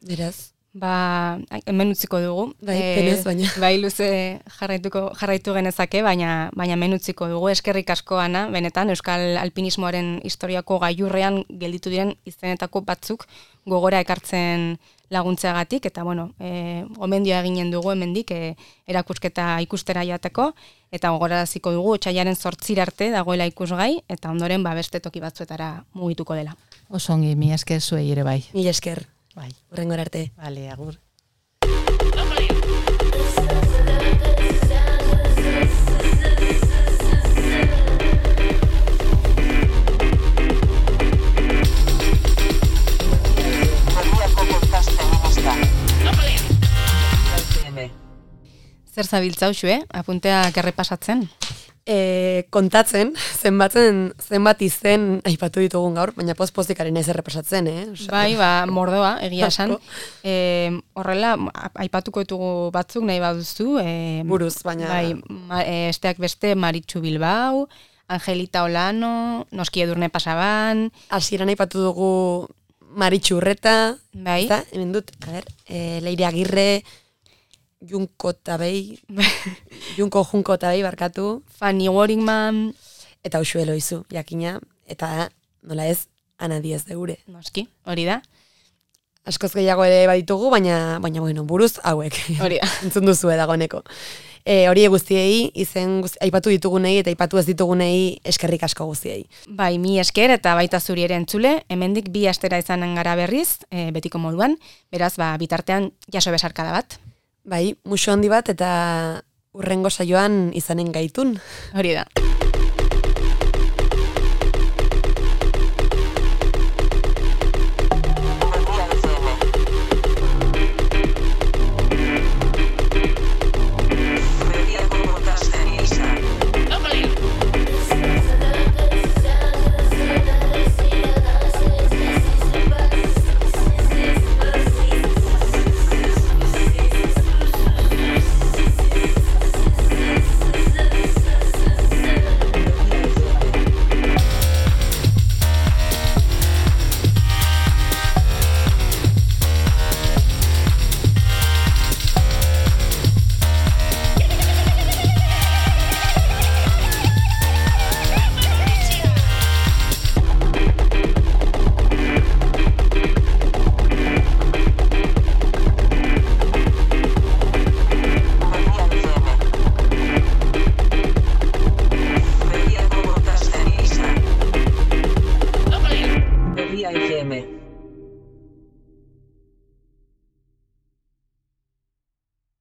Beraz? Ba, hemen utziko dugu. Bai, penez, baina. Bai, luze jarraitu genezake, baina hemen utziko dugu. Eskerrik asko, Ana, benetan, Euskal Alpinismoaren historiako gailurrean gelditu diren izenetako batzuk gogora ekartzen laguntzeagatik, eta bueno, gomendioa eginen dugu hemendik erakusketa ikustera jateko, eta gogoraraziko dugu otsailaren 8 arte dagoela ikusgai, eta ondoren beste toki batzuetara mugituko dela. Oso ongi, mi esker zuei ere bai. Mi esker. Bai. Hurrengora arte. Vale, agur. Zer zabiltza uxue, apunteak errepasatzen? Kontatzen, zenbat izen aipatu ditugun gaur, baina poz-pozikaren ez errepasatzen, Bai, mordoa, egia esan. Horrela, aipatuko ditugu batzuk nahi baduzu. Buruz, baina... Bai, esteak beste Maritxu Bilbao, Angelita Olano, Noski Edurne Pasaban... Hasieran aipatu dugu Maritxu Urreta, bai. Eta, hemen dut, Leire Agirre... Junko Tabei, barkatu. Fanny Waringman. Eta Uxue Loizu, jakina. Eta, nola ez, Ana Diez de Ure. Noski, hori da. Askoz gehiago ere baditugu, baina bueno, buruz hauek. Hori da. Entzun duzu dagoeneko. Hori guztiei, aipatu ditugunei eta aipatu ez ditugunei eskerrik asko guztiei. Bai, mi esker eta baita zuri ere entzule, hemendik 2 astera izanen gara berriz, betiko moduan, beraz, bitartean jaso besarkada bat. Bai, musu handi bat eta hurrengo saioan izanen gaitun. Hori da.